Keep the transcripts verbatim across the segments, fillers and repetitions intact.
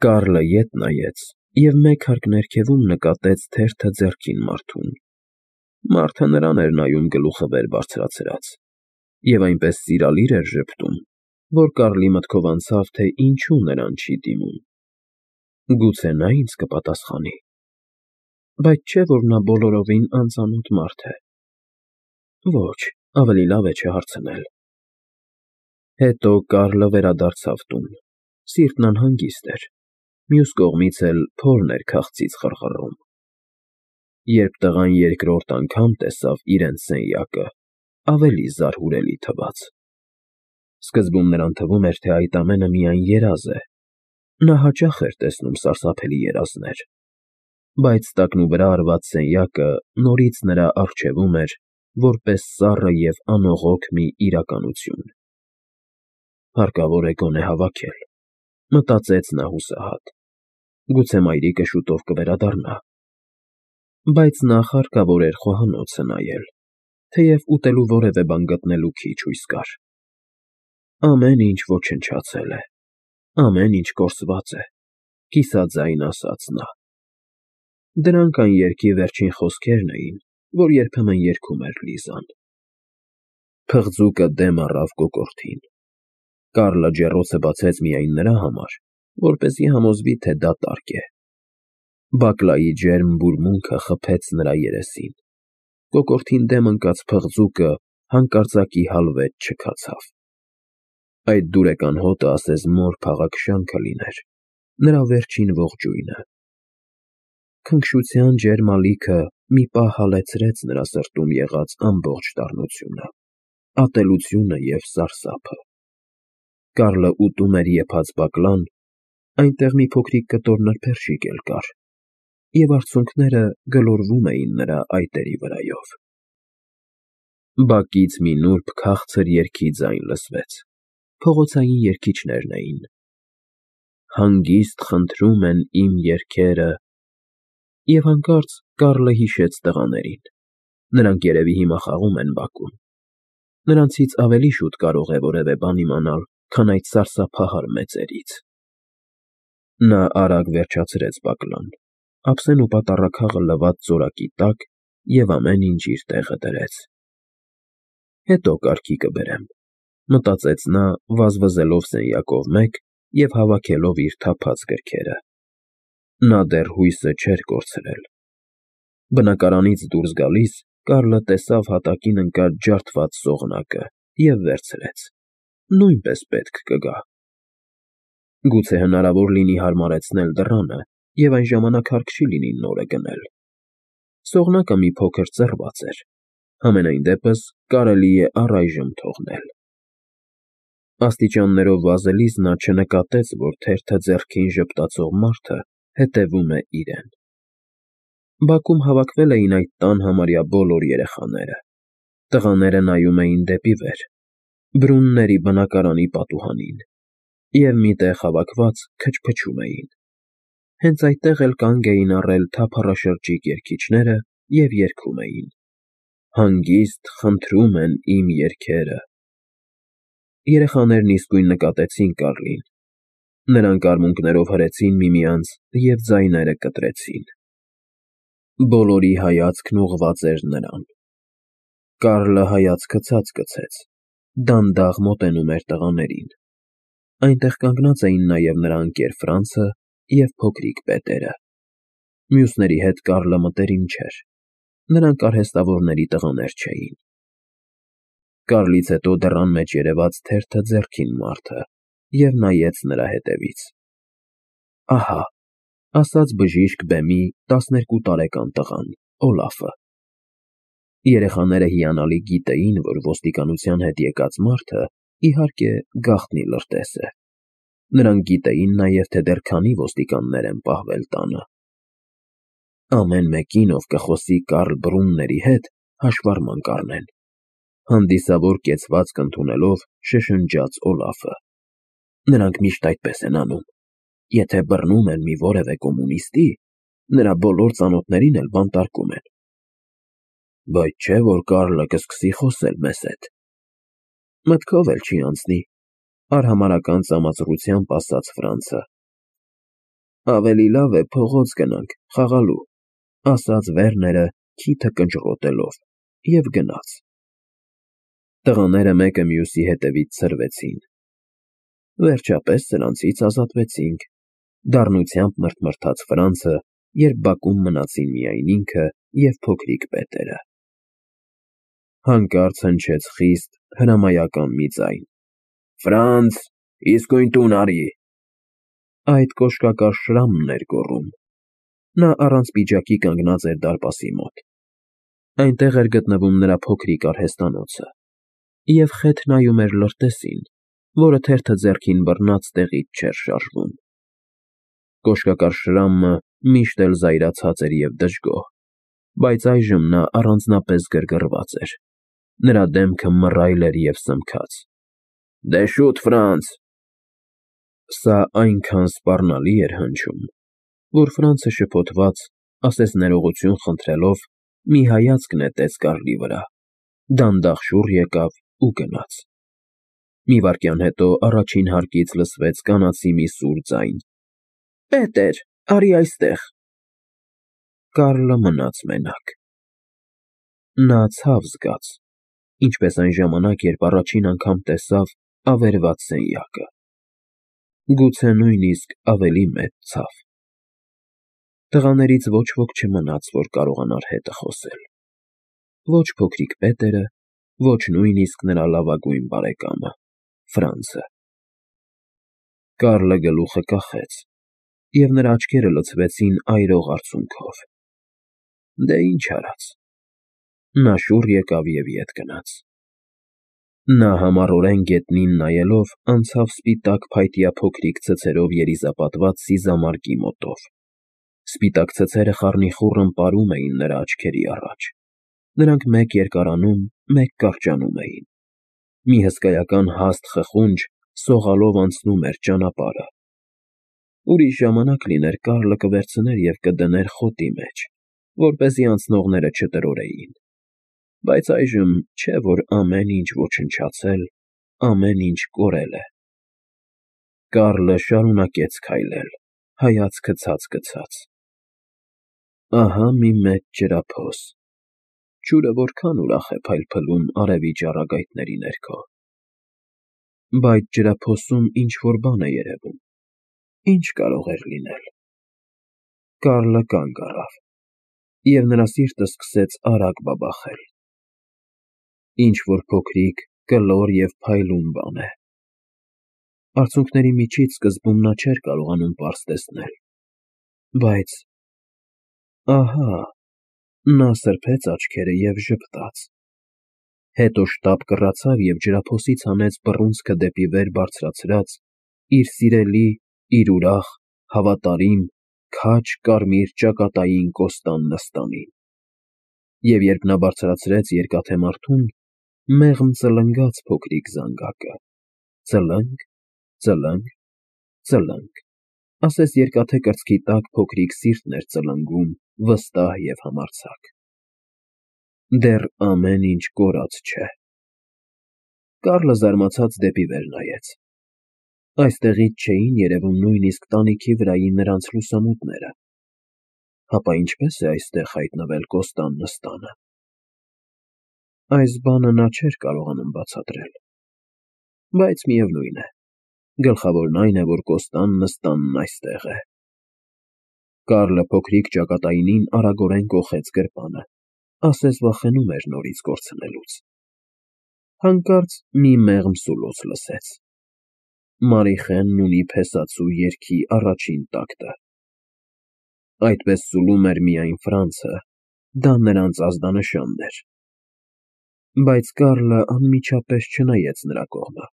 Կարլը ետ նայեց և մեկ հարկ ներքևում նկատեց թերթը ձեռքին մարդուն. մարդը նրան էր նայում գլուխը վեր բարձրացրած և այնպես սիրալիր էր ժպտում, որ Կարլի մտքով անցավ, թե ինչու նրան չի դիմում. գուցե նա ինձ կպատասխանի, բայց չէ՞ որ նա բոլորովին անծանոթ մարդ է, ոչ, ավելի լավ է չհարցնել։ Հետո Կարլը վերադարձավ տուն, սիրտն անհանգիստ էր, մյուս կողմից էլ փորն էր քաղցից խռխռում։ Երբ տղան երկրորդ անգամ տեսավ իրենց սենյակը, ավելի զարհուրելի թվաց։ Սկզբում նրան թվում էր, թե այդ ամենը միայն երազ է, նա հաճախ էր տեսնում սարսափելի երազներ, բայց տակնուվրա արված սենյակը նորից նրա առջևում էր, որպես սառը և անողոք մի իրականություն։ Հարկավոր է գոնե հավաքել, մտածեց նա հուսահատ, գուցե մայրիկը շուտով կվերադառնա, բայց նախ հարկավոր էր խոհանոցը նայել, թեև ուտելու որևէ բան գտնելու քիչ հույս կար։ Ամեն ինչ ոչնչացել է, ամեն ինչ կորսված է, կիսաձայն ասաց նա։ Դրանք այն երգի վերջին խոսքերն էին, որ երբեմն երգում էր Լիզան։ Փղձուկը դեմ առավ կոկորդին։ Կարլը ջեռոցը բացեց միայն նրա համար, որպեսզի համոզվի, թե դա տարգ է։ Բակլայի ջերմ բուրմունքը խփեց նրա երեսին։ Կոկորդին դեմ ընկած փղձուկը հանկարծակի հալվեց չքացավ։ Այդ դուրեկան հոտը ասես մոր փաղաքշանքը լիներ, նրա վերջին ողջույնը։ Քնքշության ջերմ ալիքը մի պահ հալեցրեց նրա սրտում եղած ամբողջ դառնությունը, ատելությունը և սարսափը։ Կարլը ուտում էր եփած բակլան, այնտեղ մի փոքրիկ կտոր նրբերշիկ էլ կար, և արցունքները գլորվում էին նրա այտերի վրայով։ Բակից մի նուրբ քաղցր երգի ձայն լսվեց, փողոցային երգիչներն էին. «Հանգիստ խնդրում են իմ երգերը», և հանկարծ Կարլը հիշեց տղաներին. նրանք երևի հիմա խաղում են բակում։ Նրանցից ավելի շուտ կարող է որևէ բան իմանալ, քան այդ սարսափահար մեծերից։ Նա արագ վերջացրեց բակլան, ափսեն ու պատառաքաղը լված ծորակի տակ և ամեն ինչ իր տեղը դրեց։ Հետո կարգի կբերեմ, մտածեց նա, վազվզելով սենյակով մեկ և հավաքելով իր թափած գրքերը։ Նա դեռ հույսը չէր կորցրել։ Բնակարանից դուրս գալիս Կարլը տեսավ հատակին ընկած ջարդված սողնակը և վերցրեց, նույնպես պետք կգա։ Գուցե հնարավոր լինի հարմարեցնել դռանը և այն ժամանակ հարկ չի լինի նորը գնել։ Սողնակը մի փոքր ծռված էր, համենայն դեպս կարելի է առայժմ թողնել։ Աստիճաններով վազելիս նա չնկատեց, որ թերթը ձեռքին ժպտացող մարդը հետևում է իրեն։ Բակում հավաքվել էին այդ տան համարյա բոլոր երեխաները։ Տղաները նայում էին դեպի վեր, Բրունների բնակարանի պատուհանին, և մի տեղ հավաքված քչփչում էին։ Հենց այդտեղ էլ կանգ էին առել թափառաշրջիկ երգիչները և երգում էին. «Հանգիստ խնդրում են իմ երգերը»։ Երեխաներն իսկույն նկատեցին Կարլին։ Նրանք արմունկներով հրեցին միմյանց և ձայները կտրեցին։ Բոլորի հայացքն ուղղված էր նրան։ Կարլը հայացքը ցած գցեց, դանդաղ մոտենում էր տղաներին։ Այնտեղ կանգնած էին նաև նրա ընկեր Ֆրանցը և փոքրիկ պետերը։ Մյուսների հետ Կարլը մտերիմ չէր, նրանք արհեստավորների տղաներ չէին։ Կարլից հետո դռան մեջ երևաց թերթը ձեռքին մարդը և նայեց նրա ետևից։ Ահա, ասաց բժիշկ բեմի տասներկու տարեկան տղան՝ Օլաֆը։ Երեխաները հիանալի գիտեին, որ ոստիկանության հետ եկած մարդը, իհարկե, գաղտնի լրտես է։ Նրանք գիտեին նաև, թե դեռ քանի ոստիկաններ են պահվել տանը։ Ամեն մեկին, ով կխոսի Կարլ Բրունների հետ, հաշվառման կառնեն, հանդիսավոր կեցվածք ընդունելով շշնջաց Օլաֆը։ Նրանք միշտ այդպես են անում։ Եթե բռնում են մի որևէ կոմունիստի, նրա բոլոր ծանոթներին էլ բանտարկում են։ Բայց չէ՞ որ Կարլը կսկսի խոսել մեզ հետ։ Մտքով էլ չի անցնի, արհամարհական ծամացրությամբ ասաց Ֆրանցը։ Ավելի լավ է փողոց գնանք, խաղալու, ասաց Վերները քիթը կնճռոտելով և գնաց։ Տղաները մեկը մյուսի հետևից ցրվեցին։ Վերջապես սրանցից ազատվեցինք, դառնությամբ մռթմռթաց Ֆրանցը, երբ բակում մնացին միայն ինքը և փոքրիկ Պետերը։ Հանկարծ հնչեց խիստ հրամայական մի ձայն. Ֆրանց, իսկույն տուն արի։ Այդ կոշկակար Շրամն էր գոռում։ Նա առանց պիջակի կանգնած էր դարպասի մոտ։ Այնտեղ էր գտնվում նրա փոքրիկ արհեստանոցը, և խեթ նայում էր լրտեսին, որը թերթը ձեռքին բռնած տեղից չէր շարժվում։ Կոշկակար Շրամը միշտ էլ զայրացած էր և դժգոհ, բայց այժմ նա առանձնապես գրգռված էր, նրա դեմքը մռայլ էր և սմքած։ Դե շուտ, Ֆրանց։ Սա այնքան սպառնալի էր հնչում, որ Ֆրանցը շփոթված, ասես ներողություն խնդրելով, մի հայացք նետեց Կարլի վրա, դանդաղ շուռ եկավ ու գնաց։ Մի վայրկյան հետո առաջին հարկից լսվեց կանացի մի սուր ձայն. Պետեր, արի այստեղ։ Կարլը մնաց մենակ։ Նա ցավ զգաց, ինչպես այն ժամանակ, երբ առաջին անգամ տեսավ ավերված սենյակը։ Գուցե նույնիսկ ավելի մեծ ցավ։ Տղաներից ոչ ոք չմնաց, որ կարողանար հետը խոսել։ Ոչ փոքրիկ Պետերը, ոչ նույնիսկ նրա լավագույն բարեկամը՝ Ֆրանցը։ Կարլը գլուխը կախեց, և նրա աչքերը լցվեցին այրող արցունքով։ Դե ինչ արած։ Նա շուռ եկավ և ետ գնաց։ Նա համառորեն գետնին նայելով անցավ սպիտակ փայտյա փոքրիկ ցցերով երիզապատված սիզամարգի մոտով։ Սպիտակ ցցերը խառնիխուռն պարում էին նրա աչքերի առաջ։ Նրանք մեկ երկարանում, մեկ կարճանում էին։ Մի հսկայական հաստ խխունջ սողալով անցնում էր ճանապարհը։ Ուրիշ ժամանակ լիներ Կարլը կվերցներ և կդներ խոտի մեջ, որպեսզի անցնողները չտրորեին։ Բայց այժմ չէ՞ որ ամեն ինչ ոչնչացել, ամեն ինչ կորել է։ Կարլը շարունակեց քայլել, հայացքը ցած գցած։ Ահա մի մեծ ջրափոս։ Ջուրը որքան ուրախ է փայլփլում արևի ճառագայթների ներքո։ Բայց ջրափոսում ինչ֊որ բան է երևում։ Ինչ կարող էր լինել։ Կարլը կանգ առավ, և նրա սիրտը սկսեց արագ բաբախել։ Ինչ֊որ փոքրիկ, կլոր և փայլուն բան է։ Արցունքների միջից սկզբում նա չէր կարողանում պարզ տեսնել, բայց… ահա… Նա սրբեց աչքերը և ժպտաց։ Հետո շտապ կռացավ և ջրափոսից հանեց բռունցքը դեպի վեր բարձրացրած իր սիրելի, իր ուրախ, հավատարիմ, քաջ կարմիր ճակատային Կոստան Նստանին։ Եվ երբ նա բարձրացրեց երկաթե մարդուն, մեղմ ծլնգաց փոքրիկ զանգակը, ծլնգ, ծլնգ, ծլնգ, ասես երկաթե կրծքի տակ փոքրիկ սիրտն էր ծլնգում վստահ և համարձակ։ Դեռ ամեն ինչ կորած չէ։ Կարլը զարմացած դեպի վեր նայեց։ Այստեղից չէին երևում նույնիսկ տանիքի վրայի նրանց լուսամուտները։ Հապա ինչպե՞ս է այստեղ հայտնվել Կոստան Նստանը։ Այս բանը նա չէր կարողանում բացատրել։ Բայց միևնույն է, գլխավորն այն է, որ Կոստան Նստանն այստեղ է։ Կարլը փոքրիկ ճակատայինին արագորեն կոխեց գրպանը, ասես վախենում էր նորից կորցնելուց։ Հանկարծ մի մեղմ սուլոց լսեց։ Մարիխենն ունի փեսացու երգի առաջին տակտը։ Այդպես սուլում էր միայն Ֆրանցը, դա նրանց ազդանշանն էր։ Բայց Կարլը անմիջապես չնայեց նրա կողմը։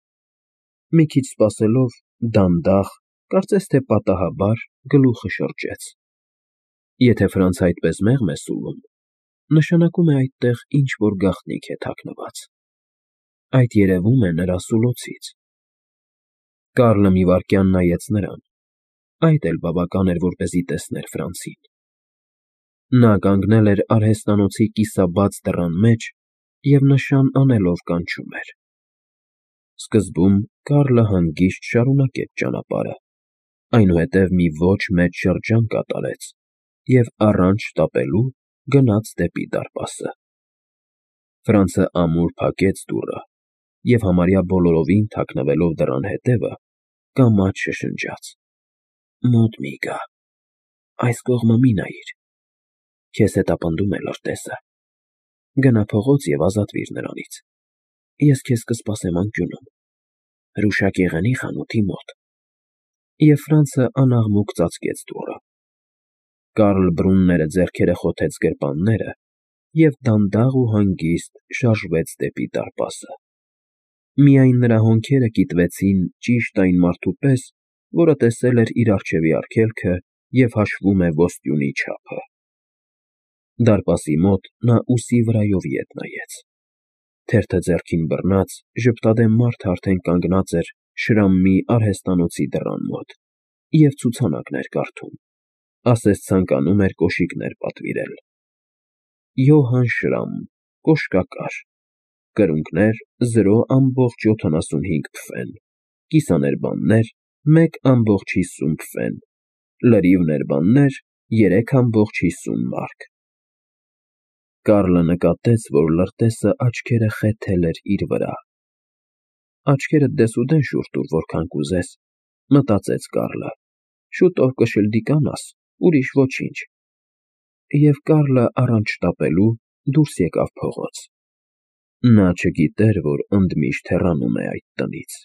Մի քիչ սպասելով, դանդաղ, կարծես թե պատահաբար, գլուխը շրջեց։ Եթե Ֆրանցը այդպես մեղմ է սուլում, նշանակում է այդտեղ ինչ֊որ գաղտնիք է թաքնված։ Այդ երևում է նրա սուլոցից։ Կարլը մի վայրկյան նայեց նրան, այդ էլ բավական էր, որպեսզի տեսներ Ֆրանցին։ Նա կանգնել էր արհեստանոցի կիսաբաց դռան մեջ և նշան անելով կանչում էր։ Սկզբում Կարլը հանգիստ շարունակեց ճանապարհը, այնուհետև մի ոչ մեծ շրջան կատարեց և առանց շտապելու գնաց դեպի դարպասը։ Ֆրանցը ամուր փակեց դուռը և համարյա բոլորովին թաքնվելով դռան հետևը, կամաց շշնջաց. «Մոտ մի գա, այս կողմը մի նայիր, քեզ հետապնդում է լրտեսը, գնա փողոց և ազատվիր նրանից, ես քեզ կսպասեմ անկյունում, հրուշագեղենի խանութի մոտ»։ Եվ Ֆրանցը անաղմուկ ծածկեց դուռը։ Կարլ Բրունները ձեռքերը խոթեց գրպանները և դանդաղ ու հանգիստ շարժվեց դեպի դարպասը։ Միայն նրա հոնքերը կիտվեցին ճիշտ այն մարդու պես, որը տեսել էր իր առջևի արգելքը և հաշվում է ոսկյունի չափը։ Դարպասի մոտ նա ուսի վրայով ետ նայեց։ Թերթը ձեռքին բռնած, ժպտադեմ մարդը արդեն կանգնած էր Շրամի արհեստանոցի դռան մոտ և ցուցանակներ կարդում, ասես ցանկանում էր կոշիկներ պատվիրել. Յոհան Շրամ, կոշկակար, կրունկներ զրո ամբողջ յոթանասունհինգ փվեն, կիսաներբաններ մեկ ամբողջ հիսուն փվեն, լրիվ֊ներբաններ երեք ամբողջ հիսուն մարք։ Կարլը նկատեց, որ լրտեսը աչքերը խեթել էր իր վրա։ Աչքերդ դեսուդեն շուռ տուր որքան կուզես, մտածեց Կարլը, շուտով կշլդիկանաս, ուրիշ ոչինչ։ Եվ Կարլը առանց շտապելու դուրս եկավ փողոց։ Նա չգիտեր, որ ընդմիշտ հեռանում է այդ տնից։